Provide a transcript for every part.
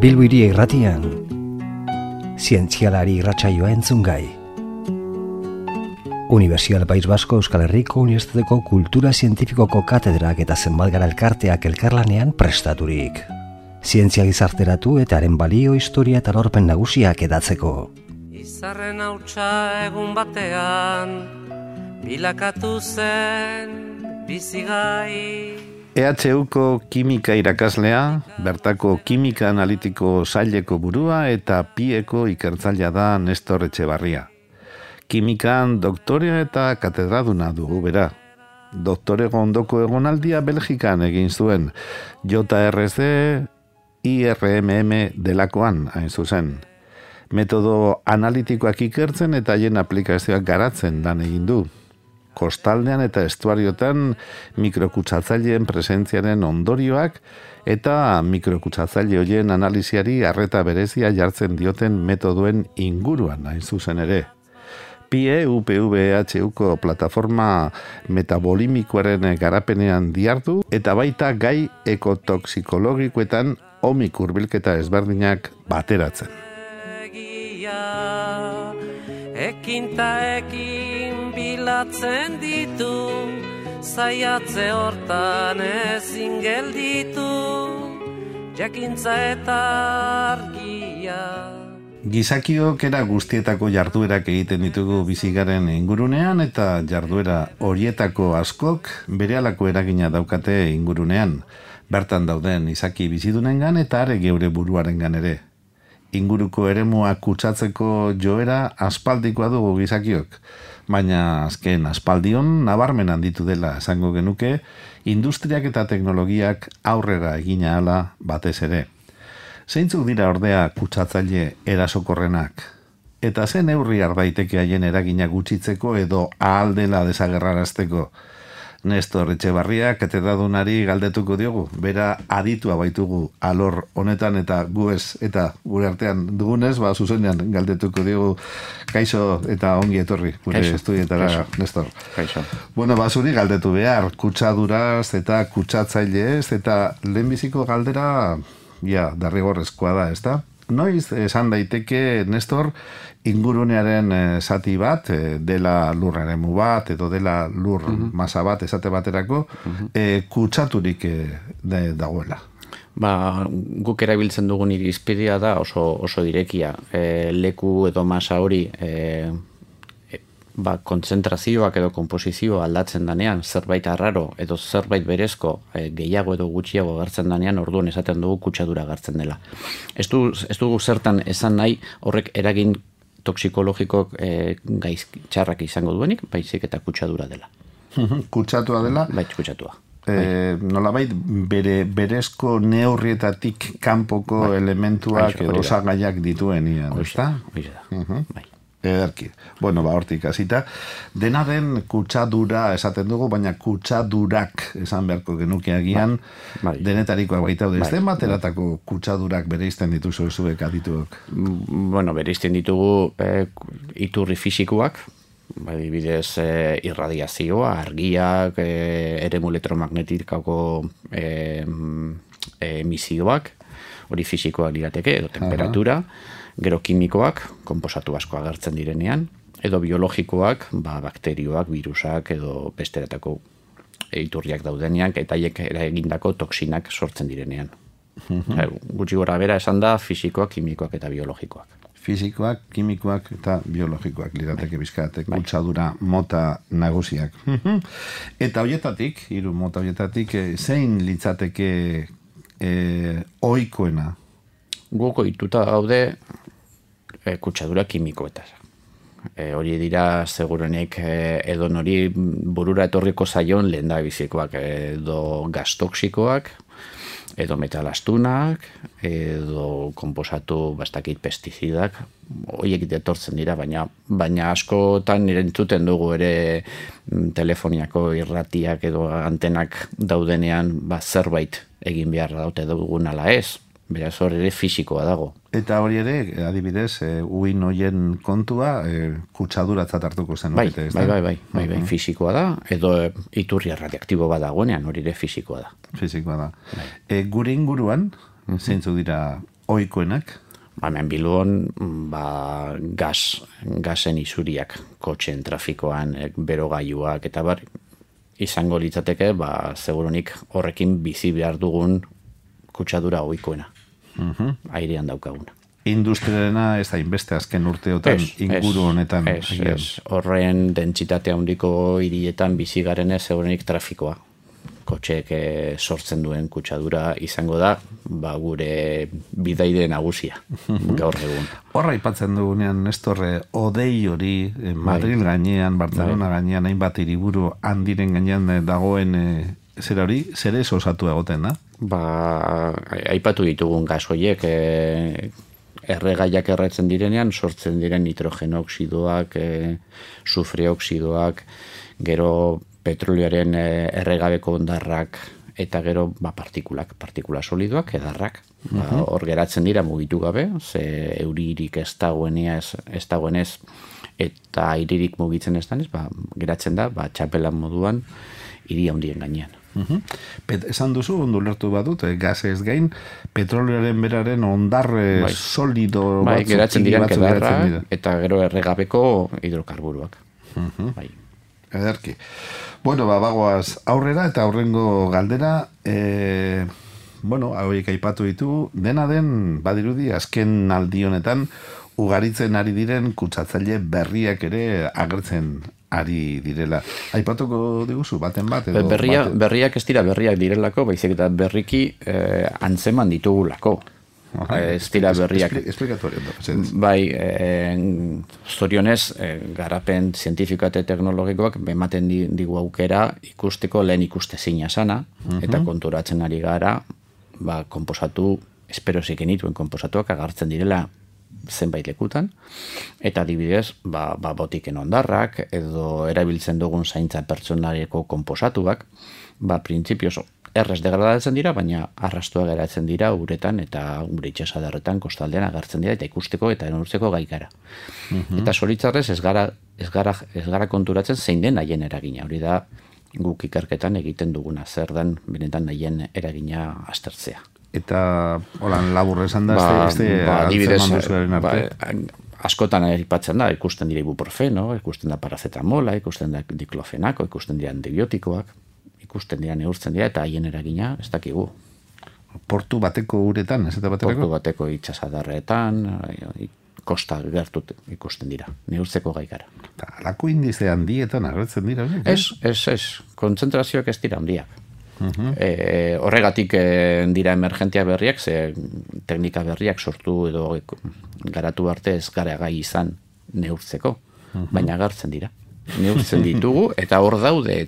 Bilbo Hiria Irratian, zientzialari irratsaioa entzungai. Unibertsitate País Basko Euskal Herriko Unibertsitateko Kultura Zientifikoko katedrak eta zenbat gara elkarteak elkarlanean prestaturik. Zientzia gizarteratu eta haren balio, historia eta lorpen nagusiak edatzeko. Izarren hautsa egun batean, bilakatu zen bizigai. EHUko kimika irakaslea, bertako kimika analitiko saileko burua eta pieko ikertzailea da Nestor Etxebarria. Kimikan doktorea eta katedraduna dugu bera. Doktorego ondoko egonaldia Belgikan egin zuen, JRC IRMM delakoan hain zuzen. Metodo analitikoak ikertzen eta haien aplikazioak garatzen lan egin du. Kostaldean eta estuariotan mikrokutsatzaileen presentziaren ondorioak eta mikrokutsatzale horien analiziari arreta berezia jartzen dioten metodoen inguruan hain zuzen ere. PIE UPVHUko plataforma metabolimikoaren garapenean dihardu eta baita gai ekotoxikologikoetan omik hurbilketa ezberdinak bateratzen. Ekin bilatzen ditu, zaiatze hortan ezin gelditu, jakintza eta argia. Gizakiok era guztietako jarduerak egiten ditugu bizigaren ingurunean eta jarduera horietako askok berehalako eragina daukate ingurunean. Bertan dauden izaki bizidunengan eta are geure buruarengan ere. Inguruko eremua kutsatzeko joera aspaldikoa dugu gizakiok, baina azken aspaldion nabarmen handitu dela esango genuke, industriak eta teknologiak aurrera egina ahala batez ere. Zeintzuk dira ordea kutsatzaile erasokorrenak? Eta zen neurri har daiteke haien eragina gutxitzeko edo ahal dela desagerrarazteko? Nestor Etxebarria katedradunari galdetuko diogu, bera aditua baitugu alor honetan eta gu ez, eta gure artean dugunez, zuzenean galdetuko diogu. Kaixo eta ongi etorri, gure estudietara, Nestor. Kaixo. Bueno, zuri galdetu behar, kutsaduraz eta kutsatzailez, eta lehenbiziko galdera, derrigorrezkoa da, ezta? Noiz esan daiteke, Nestor, ingurunearen zati bat, dela lurraremu bat, edo dela lur masa bat esate baterako, kutsaturik dagoela. Guk erabiltzen dugun irizpidea da oso direkia. Leku edo masa hori kontzentrazioak edo komposizioa aldatzen danean, zerbait arraro edo zerbait berezko gehiago edo gutxiago agertzen danean, orduan esaten dugu kutsadura agertzen dela. Ez dugu zertan esan nahi horrek eragin toxikologiko gaiz txarrak izango duenik, baizik eta kutsadura dela. Kutsatua dela? Bai, kutsatua. Nolabait berezko neurrietatik kanpoko elementuak edo osagaiak dituen ian, ezta? Bai. Ederki. Bueno, hortik hasita. Dena den kutsadura esaten dugu, baina kutsadurak esan beharko genuke agian, denetarikoa baita daude. Ez den bateratako kutsadurak bereizten dituzu zuek adituok? Bueno, bereizten ditugu iturri fisikoak, adibidez irradiazioa, argiak, eremu elektromagnetikako emisioak, hori fisikoak lirateke, edo temperatura, gero kimikoak, konposatu asko agertzen direnean, edo biologikoak, bakterioak, virusak, edo besteretako iturriak daudenean, eta haiek eragindako toksinak sortzen direnean. Gutxi gora bera esan da, fisikoak, kimikoak eta biologikoak. Fisikoak, kimikoak eta biologikoak lirateke bizkat, kutsadura mota nagusiak. Eta horietatik, hiru mota horietatik, zein litzateke ohikoena? Guk ohituta gaude kutsadura kimikoetaz. Hori dira segurenik edo nori burura etorriko zaion lehendabizikoak, edo gas toxikoak, edo metal astunak, edo konposatu bastakit pestizidak, horiek etortzen dira, baina askotan entzuten dugu ere telefoniako irratiak edo antenak daudenean zerbait egin behar daute dugun ala ez. Beraz hori ere fisikoa dago. Eta hori ere, adibidez, uin hoien kontua, kutsaduratzat hartuko zen. Bai, fisikoa da, edo iturri radioaktibo bat dagoenean, hori ere fisikoa da. Fisikoa da. Gure inguruan, zeintzuk dira ohikoenak? Hemen Bilbon, gasen isuriak, kotxen trafikoan, berogailuak, eta izango litzateke, segurunik horrekin bizi behar dugun kutsadura ohikoena. Airean daukaguna. Industriarena ez da inbeste azken urteotan inguru honetan. Horren dentsitatea handiko hirietan bizi garenez segurunik trafikoa. Kotxeek sortzen duen kutsadura izango da, gure bidaide nagusia, gaur egun. Horra aipatzen dugunean, Nestor, odei hori, Madrid gainean, Barcelona gainean, hainbat hiriburu handiren gainean dagoen zera hori, zer ez osatu egoten da? Aipatu ditugun gas horiek, erregaiak erretzen direnean, sortzen diren nitrogenoxidoak, sufreoxidoak, gero petrolioaren erregabeko ondarrak, eta gero partikula solidoak, edarrak. Hor geratzen dira mugitu gabe, ze euririk ez dagoenez, eta airirik mugitzen ez danez, geratzen da, txapelan moduan, hiri handien gainean. Esan duzu, ondo lertu badut, gazez gain, petrolioaren beraren ondarre solido batzuk geratzen diren edarrak, eta gero erregabeko hidrokarburuak. Ederki. Bueno, bagoaz aurrera eta aurrengo galdera, hauek aipatu ditu, dena den, badirudi, azken aldi honetan, ugaritzen ari diren kutsatzaile berriak ere agertzen ari direla. Aipatuko diguzu, baten bat? Berriak ez dira berriak direlako, baizik eta berriki antzeman ditugulako. Ez dira berriak. Esplikatu hori. Zorionez, garapen zientifiko eta teknologikoak ematen digu aukera ikusteko lehen ikustezina sana, eta konturatzen ari gara, konposatu, espero zikenituen konposatuak agartzen direla zenbait lekutan, eta adibidez, botiken ondarrak, edo erabiltzen dugun zaintza pertsonareko konposatuak, printzipioz errez degradatzen dira, baina arrastua geratzen dira uretan eta gure itxasadarretan kostaldean agertzen dira eta ikusteko eta neurtzeko gaikara. Eta zoritzarrez ez gara konturatzen zein den haien eragina. Hori da guk ikerketan egiten duguna, zer den benetan haien eragina aztertzea. Eta holan labur esan da, antzeman duzuaren arte? Askotan aipatzen da, ikusten dira ibuprofeno, ikusten da parazetamola, ikusten da diklofenako, ikusten dira antibiotikoak, ikusten dira, neurtzen dira, eta haien eragina ez dakigu. Portu bateko uretan, ez eta baterako? Portu bateko itxasadarretan, kosta gertut ikusten dira, neurtzeko gaikara. Alako indize handietan agertzen dira? Ez, kontzentrazioak ez dira handiak. Horregatik dira emergentia berriak, ze teknika berriak sortu edo garatu arte ez gara gai izan neurtzeko, baina agertzen dira. Neurtzen ditugu, eta hor daude,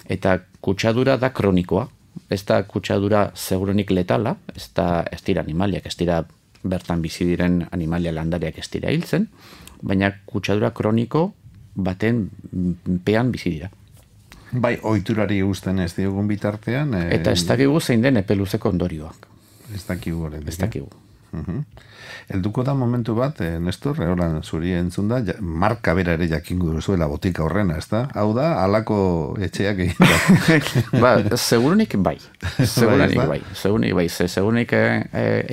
eta kutsadura da kronikoa. Ez da kutsadura segurunik letala, ez dira animaliak, ez dira bertan bizi diren animalia landariak ez dira hiltzen, baina kutsadura kroniko baten pean bizi dira. Ohiturari guzten ez diogun bitartean. Eta ez dakigu zein den epeluzeko ondorioak. Ez dakigu horretik. Ez dakigu. Helduko da momentu bat, Nestor, horan zuri entzun da, marka bera ere jakingo duzuela botika horrena, ez da? Hau da, halako etxeak egin da. Segurunik bai. Segurunik bai. Segurunik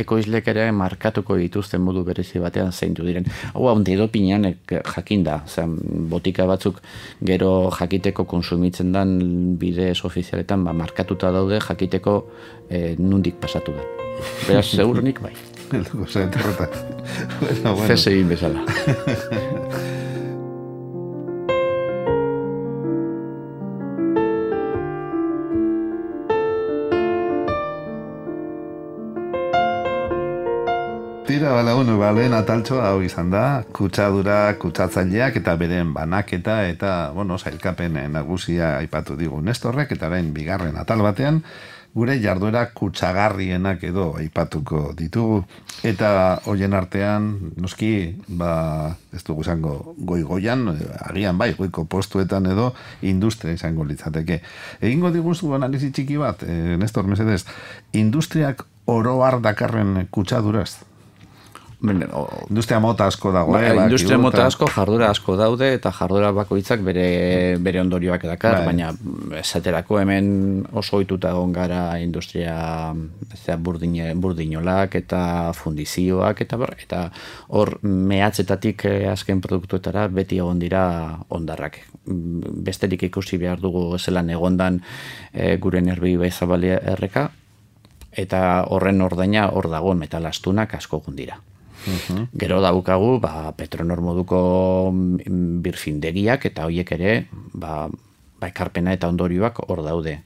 ekoizlek ere markatuko dituzten modu berezi batean zeintu diren. Hau handi dopinean jakin da. Botika batzuk gero jakiteko konsumitzen dan bidez ofizialetan markatuta daude jakiteko nundik pasatu da. Beraz, segurunik bai. Elduko zen terrota. Zez egin bezala. Tira, lehen ataltxoa hau izan da, kutsadura, kutsatzaileak eta beren banaketa eta, zailkapen nagusia aipatu digu Nestorrek, eta orain bigarren atal batean, gure jarduera kutsagarrienak edo aipatuko ditugu. Eta hoien artean, noski, ez dugu izango goi-goian, agian goiko postuetan edo industria izango litzateke. Egingo diguzu analizi txiki bat, Nestor, mesedez, industriak oro har dakarren kutsaduraz? Industria mota asko dago, industria mota asko, jardura asko daude, eta jardura bakoitzak bere ondorioak edakar, baina esaterako hemen oso ohituta egon gara industria burdinolak eta fundizioak, eta hor mehatzetatik azken produktuetara beti egon dira ondarrak. Besterik ikusi behar dugu zelan egondan gure Nerbi Ibaizabal erreka, eta horren ordaina hor dagoen metalastunak asko gundira. Gero daukagu Petronor moduko birfindegiak eta horiek ere ekarpena eta ondorioak hor daude.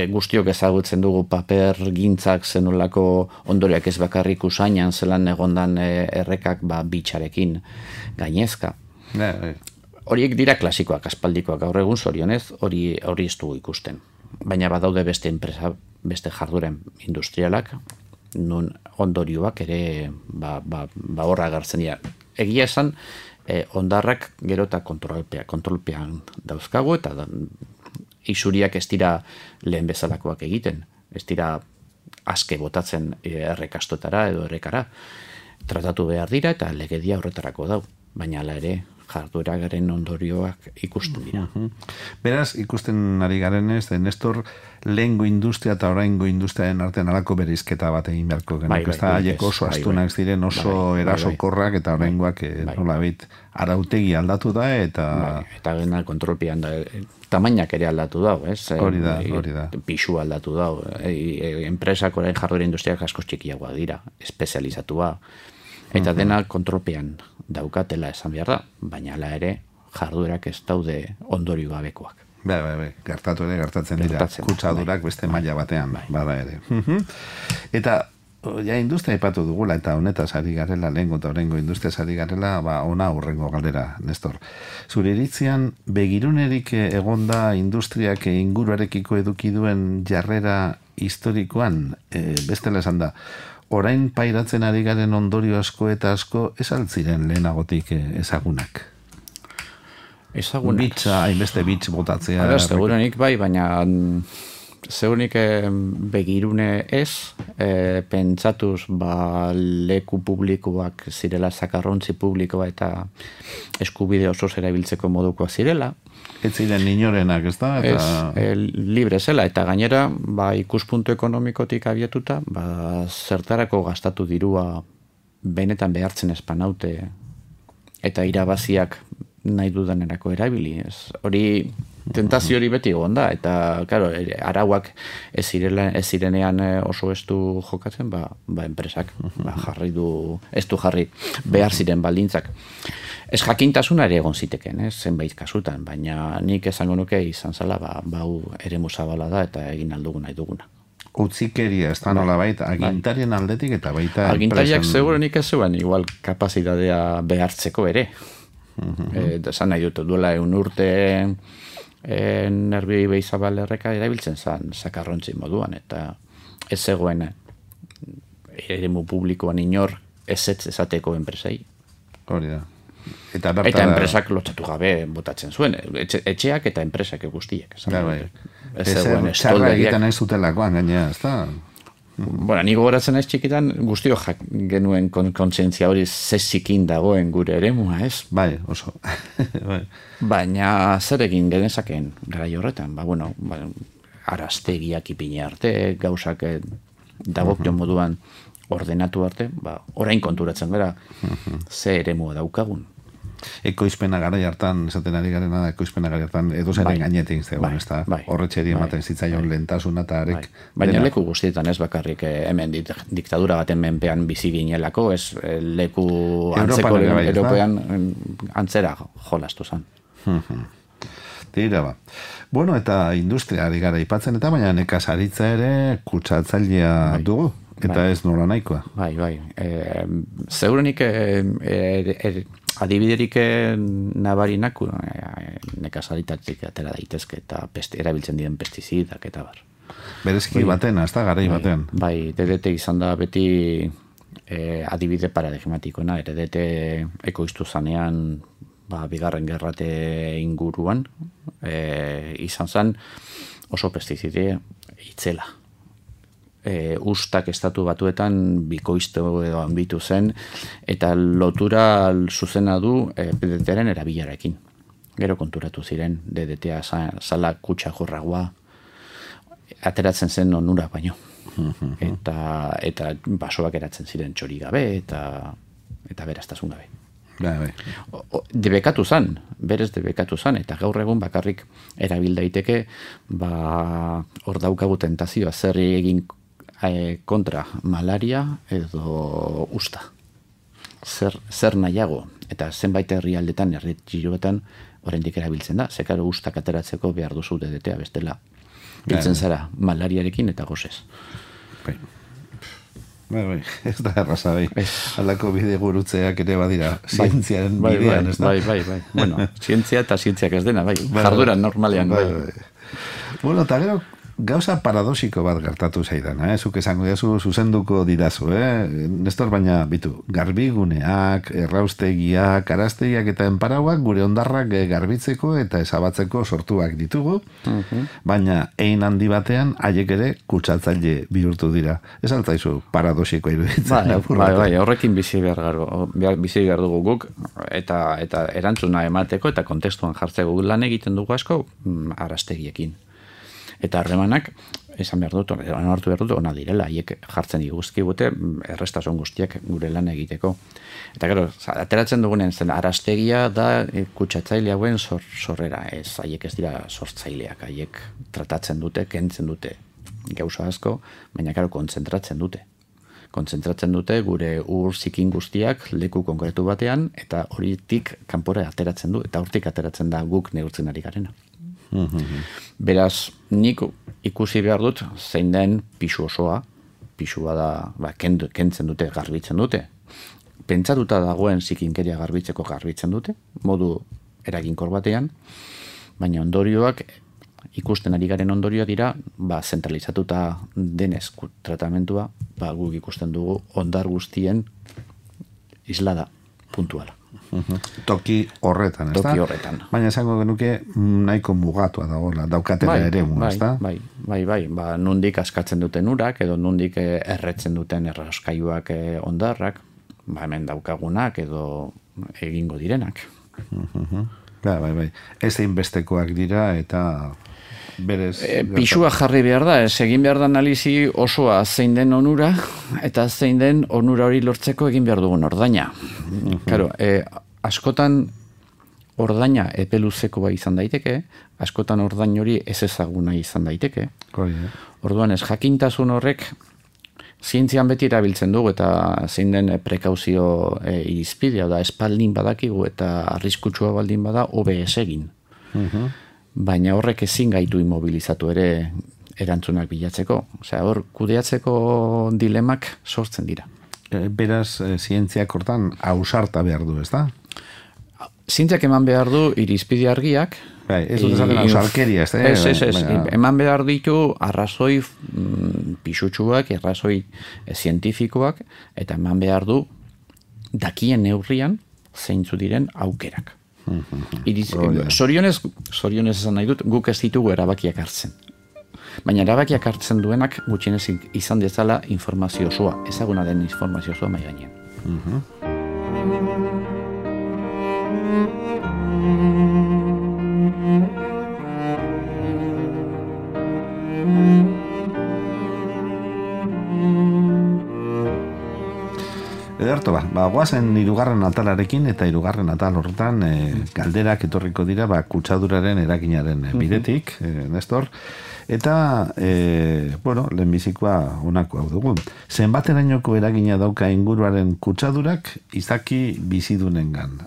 Guztiok ezagutzen dugu paper gintzak zenolako ondorioak ez bakarrik usainan zelan egondan errekak bitxarekin gainezka. Horiek dira klasikoak, aspaldikoak, gaur egun zorionez hori ez dugu ikusten. Baina badaude beste enpresa, beste jarduren industrialak, nun ondorioak ere horra agertzen dira. Egia esan, ondarrak gero eta kontrolpean dauzkagu, eta isuriak ez dira lehen bezalakoak egiten. Ez dira aske botatzen errekastotara edo errekara. Tratatu behar dira eta legedia horretarako dau. Baina hala ere, jarduera garen ondorioak ikusten dira. Beraz, ikusten ari garenez, Nestor, lehengo industria eta oraingo industriaren artean alako bereizketa bat egin beharko genuke. Ez da, haiek oso astunak ziren, oso erasokorrak, eta oraingoak nolabait arautegi aldatu da, eta... Eta gena kontrolpean da, tamainak ere aldatu dau, ez? Hori da. Pixu aldatu dau. Enpresak orain jarduera industriak asko txikiagoa dira, espezializatua. Eta dena kontrolpean daukatela esan behar da, baina hala ere jarduerak ez daude ondorio gabekoak. Gertatzen dira, kutsadurak beste maila batean, bada ere. Eta, industria ipatu dugula, eta honetaz ari garela, lehengo eta horrengo industria ari garela, ona horrengo galdera, Nestor. Zure iritzian, begirunerik egonda industriak inguruarekiko eduki duen jarrera historikoan, bestela esan da, orain pairatzen ari garen ondorio asko eta asko ez altziren lehenagotik ezagunak. Ezagunak. Bitza, hainbeste bitz botatzea. Segurenik baina segurenik begirune ez, pentsatuz leku publikoak zirela, zakarrontzi publikoa eta eskubide oso erabiltzeko modukoa zirela. Ez ziren inorenak, ez da? Libre zela, eta gainera, ikuspuntu ekonomikotik abiatuta, zertarako gastatu dirua benetan behartzen espanaute eta irabaziak nahi dudanerako erabili. Hori, tentazio hori beti egon da, eta, claro, arauak ez zirenean oso estu jokatzen, enpresak ez du jarri behar ziren baldintzak. Ez jakintasuna ere egon ziteken, zenbait kasutan, baina nik esango nuke izan zela, bau eremu zabala da eta egin aldugu nahi duguna. Utzikeria, ez da nola baita, agintarien aldetik eta baita... Agintariak segurenik ez zuen, igual kapazitatea behartzeko ere. Zan nahi dut, duela urte Nerbi Ibaizabal erreka erabiltzen zan zakarrontzi moduan, eta ez zegoen eremu publikoan inor ezetz esateko enpresei. Hori da. Eta enpresak lotzatu gabe botatzen zuen, etxeak eta enpresak guztiek. Txarra egiten nahi zutelakoan gainea, ez da? Ni gogoratzen naiz txikitan guztio genuen kontzientzia hori zezikin dagoen gure eremua, ez? Bai, oso. Baina zer egin genezakeen gara horretan, araztegiak ipine arte, gauzak dagokio moduan ordenatu arte, orain konturatzen gara ze eremua daukagun. Ekoizpena gara jartan, esaten ari garena da, ekoizpena gara jartan, edo zeren gainetik zegoen, ez da, horretxeri ematen zitzaion lehentasuna eta arek. Baina leku guztietan ez bakarrik hemen diktadura baten menpean bizi ginelako, ez leku antzeko European antzera jolastu zan. Tira ba. Bueno, eta industria ari gara ipatzen eta baina nekazaritza ere kutsatzailea dugu. Eta ez nola nahikoa. Bai. Segurenik adibiderik nabarinak nekazaritatik atera daitezke eta erabiltzen diren pestizidak eta bar. Bereziki baten, ez da, garai baten. Bai, DDT izan da beti adibide paradigmatikoena, DDT ekoiztu zanean bigarren gerrate inguruan izan zen oso pestizide itzela. ustak estatu batuetan bikoiztu edo handitu zen, eta lotura zuzena du DDT-aren erabilerarekin. Gero konturatu ziren, DDT-a zala kutsa jorragoa, ateratzen zen onura baino. Eta basoak eratzen ziren txori gabe, eta beraztasun gabe. Bai. Debekatu zan, berez debekatu zan, eta gaur egun bakarrik erabil daiteke, hor daukagu tentazioa zer egin kontra malaria edo usta. Zer nahiago, eta zenbait herrialdetan, herrialdetan oraindik erabiltzen da, zekaro ustak ateratzeko behar duzu DDT-a bestela. Biltzen zara malariarekin eta gozez. Bai, ez da erraza, bai. Halako bide gurutzeak ere badira, zientziaren bidean, ez da? Bai. Bueno, zientzia eta zientziak ez dena, bai. Jarduran normalean, bai. Bueno, eta gero, gauza paradoxiko bat gertatu zaidan, zuk esango diazu, zuzenduko didazu, Nestor, baina, bitu, garbiguneak, erraustegiak, araztegiak eta enparauak gure ondarrak garbitzeko eta ezabatzeko sortuak ditugu, baina ein handi batean haiek ere kutsatzaile bihurtu dira. Ez altzaizu paradoxikoa iruditzen. Bai, horrekin bizi behar dugu guk, eta erantzuna emateko eta kontestuan jartzeko lan egiten dugu asko araztegiekin. Eta harremanak, esan behar dut, ona direla, haiek jartzen diguzkigute errestasun guztiak gure lan egiteko. Eta gero, ateratzen dugunen zen, araztegia da kutsatzaile hauen sorrera, ez, haiek ez dira sortzaileak, haiek tratatzen dute, kentzen dute gauza asko, baina gero kontzentratzen dute. Kontzentratzen dute gure ur zikin guztiak leku konkretu batean, eta horitik kanpora ateratzen du, eta hortik ateratzen da guk neurtzen ari garena. Beraz, nik ikusi behar dut zein den pisu osoa, pisua da kentzen dute, garbitzen dute. Pentsatuta dagoen zikinkeria garbitzen dute, modu eraginkor batean, baina ondorioak, ikusten ari garen ondorioak dira, zentralizatuta denez tratamentua, guk ikusten dugu ondar guztien islada puntuala. Toki horretan, ez da? Toki horretan. Baina esango genuke nahiko mugatua dagoela, daukatela ere ez da? Bai, nondik askatzen duten urak, edo nondik erretzen duten erraskaiuak ondarrak, hemen daukagunak edo egingo direnak. Bai. Ez einbestekoak dira eta berez... Pisua jarri behar da, egin behar da analizi osoa zein den onura, eta zein den onura hori lortzeko egin behar dugun ordaina. Claro, askotan ordaina epeluzeko izan daiteke, askotan ordain hori ez ezaguna izan daiteke. Orduan ez, jakintasun horrek zientzian beti erabiltzen dugu, eta zein den prekauzio irizpidea da, espaldin badakigu eta arriskutsua baldin bada, hobe ez egin. Baina horrek ezin gaitu immobilizatu ere erantzunak bilatzeko. Osea, hor kudeatzeko dilemak sortzen dira. Beraz, zientziak hortan ausarta behar du, ez da? Zientziak eman behar du irizpide argiak. Ez dut esaten ausarkeria, ez da? Ez. Eman behar ditu arrazoi pisutsuak, arrazoi zientifikoak, eta eman behar du dakien neurrian zeintzu diren aukerak. Zorionez esan nahi dut, guk ez ditugu erabakiak hartzen. Baina erabakiak hartzen duenak gutxienez izan dezala informazio osoa, ezaguna den informazio osoa mai gainean. Ederto, guazen hirugarren atalarekin eta hirugarren atal horretan galderak etorriko dira kutsaduraren eraginaren bidetik, Nestor. Eta, lehenbizikoa honako hau dugu. Zenbaterainoko eragina dauka inguruaren kutsadurak izaki bizidunengan.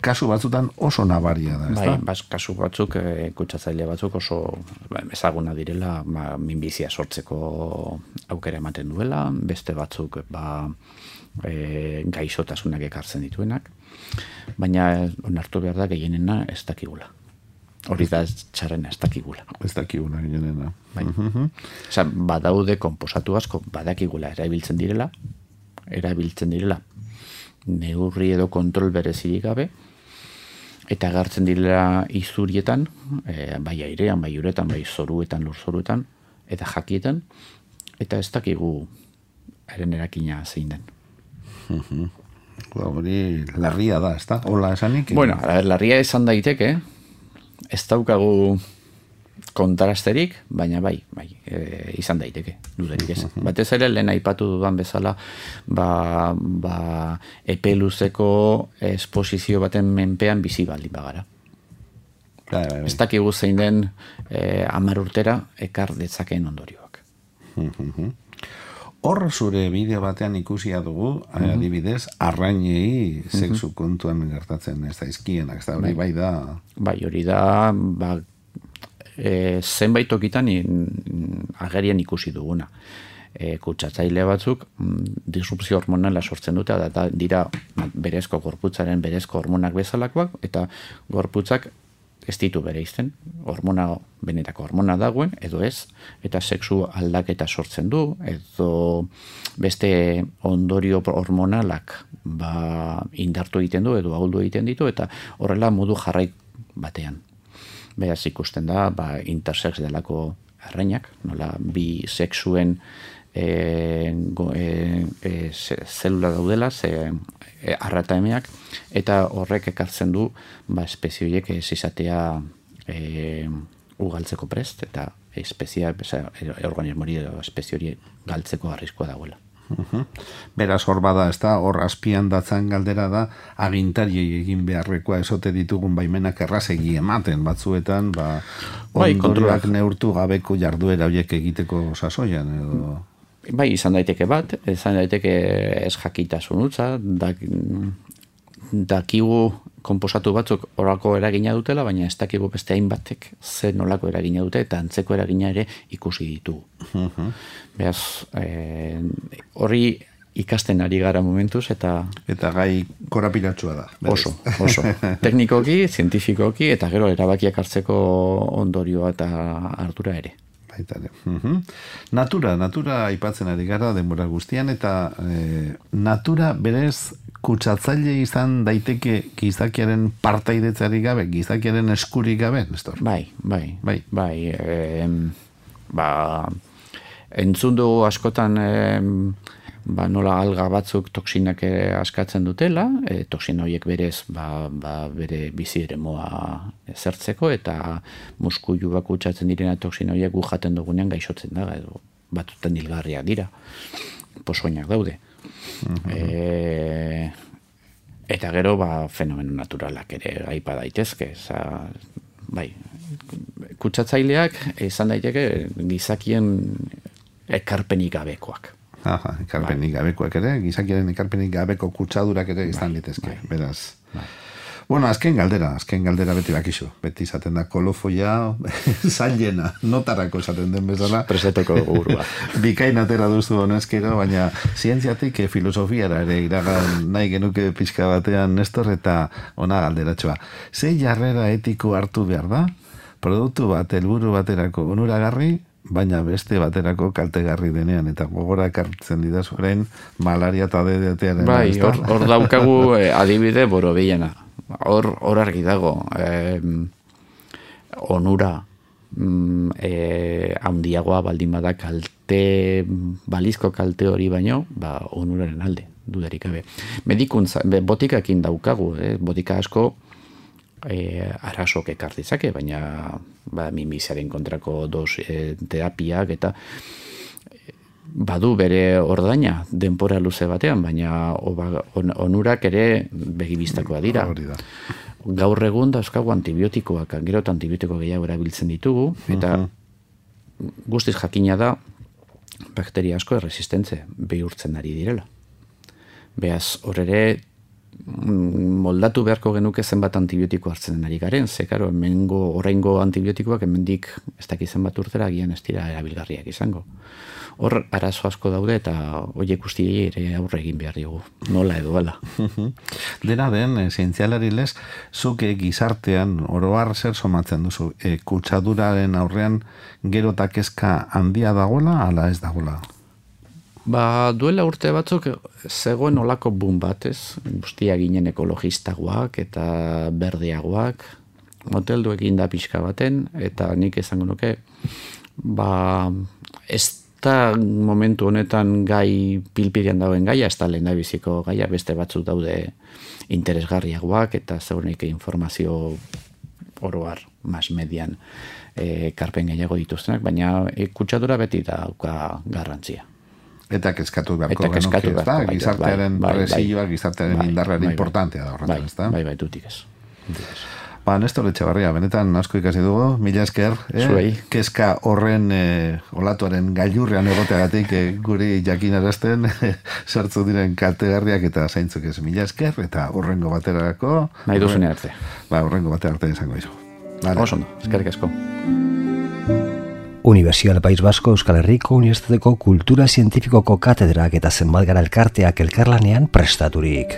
Kasu batzutan oso nabaria da, ez da? Kasu batzuk, kutsatzaile batzuk oso ezaguna direla, minbizia sortzeko aukera ematen duela, beste batzuk gaixotasunak ekartzen dituenak, baina onartu behar da gehienena ez dakigula. Hori da txarrena, ez dakigula. Ez dakigula gehienena. Badaude konposatu asko, badakigula erabiltzen direla neurri edo kontrol berezirik gabe, eta agertzen direla izurietan, bai airean, bai uretan, bai zoruetan, lurzoruetan, eta jakietan, eta ez dakigu haren erakina zein den. Hori larria da, ez da? Hola esanik? Bueno, larria esan daiteke, ez daukagu kontrasterik, baina bai, izan daiteke, dudarik ez. Batez ere, lehen aipatu dudan bezala, epe luzeko esposizio baten menpean bizi baldin bagara. Ez dakigu zein den 10 urtera ekar detzakeen ondorioak. Hor zure bideo batean ikusia dugu, adibidez, arrainei sexu kontuan gertatzen ez da izkienak, ez da hori bai da... Bai, hori da, zenbait tokitan agerian ikusi duguna. Kutsatzaile batzuk disrupzio hormonala sortzen dute, eta dira berezko gorputzaren berezko hormonak bezalakoak, eta gorputzak ez ditu bereizten, benetako hormona dagoen, edo ez, eta sexu aldaketa sortzen du, edo beste ondorio hormonalak indartu egiten du, edo ahuldu egiten ditu, eta horrela modu jarrai batean. Beraz ikusten da, intersex delako arrainak, nola bi sexuen zelula daudela, arrataemeak, eta horrek ekartzen du espezioiek ez izatea ugaltzeko prest, eta organismori edo espeziori galtzeko arriskoa dagoela. Beraz hor bada, ez da, hor azpian datzan galdera da, agintariei egin beharrekoa esote ditugun baimenak errazegi ematen batzuetan, ondorioak neurtu gabeko jarduera horiek egiteko sasoian, edo... Bai, izan daiteke bat, izan daiteke ez jakitasun utza, dakigu konposatu batzuk horako eragina dutela, baina ez dakigu beste hainbatek ze nolako eragina dute, eta antzeko eragina ere ikusi ditugu. Beraz, hori ikasten ari gara momentuz, eta gai korapilatsua da. Oso. Teknikoki, zientifikoki, eta gero erabakiak hartzeko ondorioa eta ardura ere. Natura aipatzen ari gara denbora guztian, eta natura berez kutsatzaile izan daiteke gizakiaren partaidetzari gabe, gizakiaren eskurik gabe, Nestor? Bai. Entzun dugu askotan nola alga batzuk toksinak askatzen dutela, toksina horiek berez bere bizi eremoa zertzeko, eta muskuluak kutsatzen direna toksina horiek gu jaten dugunean gaixotzen da, edo batuten hilgarriak dira, posoinak daude. Eta gero fenomeno naturalak ere aipa daitezke, bai, kutsatzaileak izan daiteke gizakien ekarpenik gabekoak. Ekarpenik gabekoak ere, gizakiaren ekarpenik gabeko kutsadurak ere izan litezke, beraz. Bueno, azken galdera beti bakizu. Beti izaten da kolofoia zailena, notarako esaten den bezala. Presetoko gurua. Bikain atera duzu honezkero, baina zientziatik filosofiara ere iragan nahi genuke pixka batean, Nestor, eta ona galderatxoa. Ze jarrera etiko hartu behar da? Produktu bat, helburu baterako onuragarri, baina beste baterako kaltegarri denean, eta gogora ekartzen didaz orain malaria eta DDT-aren. Bai, hor daukagu adibide borobilena. Hor argi dago, onura handiagoa baldin bada balizko kalte hori baino, onuraren alde, dudarik gabe. Medikuntza, botikakin daukagu, botika asko arasok ekar ditzake, baina minbiziaren kontrako terapiak eta badu bere ordaina denpora luze batean, baina onurak ere begibistakoa dira. Gaur egun dauzkagu antibiotikoak, gero eta antibiotiko gehiago erabiltzen ditugu, eta guztiz jakina da bakteria asko erresistentze bihurtzen ari direla. Beaz, hor ere moldatu beharko genuke zenbat antibiotiko hartzen ari garen, karo, oraingo antibiotikoak hemendik ez dakiz zenbat urtera agian ez dira erabilgarriak izango. Hor arazo asko daude eta horiek guztiei ere aurre egin behar diogu, nola edo ala. Dena den, zientzialari lez, zuk gizartean oroar zer somatzen duzu, kutsaduraren aurrean gero eta kezka handia dagoela, ala ez dagoela? Duela urte batzuk zegoen olako boom bat, ez? Guztia ginen ekologistagoak eta berdeagoak, moteldu egin da pixka baten, eta nik esango nuke, ez da momentu honetan gai pilpirian dauen gaia, ez da lehendabiziko gaia, beste batzuk daude interesgarriagoak eta zeurenik informazio oroar, mas median karpen gehiago dituztenak, baina kutsadura beti dauka garrantzia. Eta kezkatu beharko genuke, ez da? Gizartearen presioa, gizartearen indarraren importantea da horretan, ez da? Bai, dutik ez. Ba, Nestor Etxebarria, benetan asko ikasi dugu, mila esker, kezka horren olatuaren gailurrean egoteagatik guri jakinarazten sartzu diren kaltegarriak eta zaintzuk ez. Mila esker, eta horrengo baterako... Nahi duzune arte. Ba, horrengo batera arte izango izo. Oso ondo, eskerrik asko. Universidad País Vasco Euskal Herriko Unibertsitateko Kultura Zientifikoko katedrak eta zenbat gara elkarteak elkarlanean prestaturik.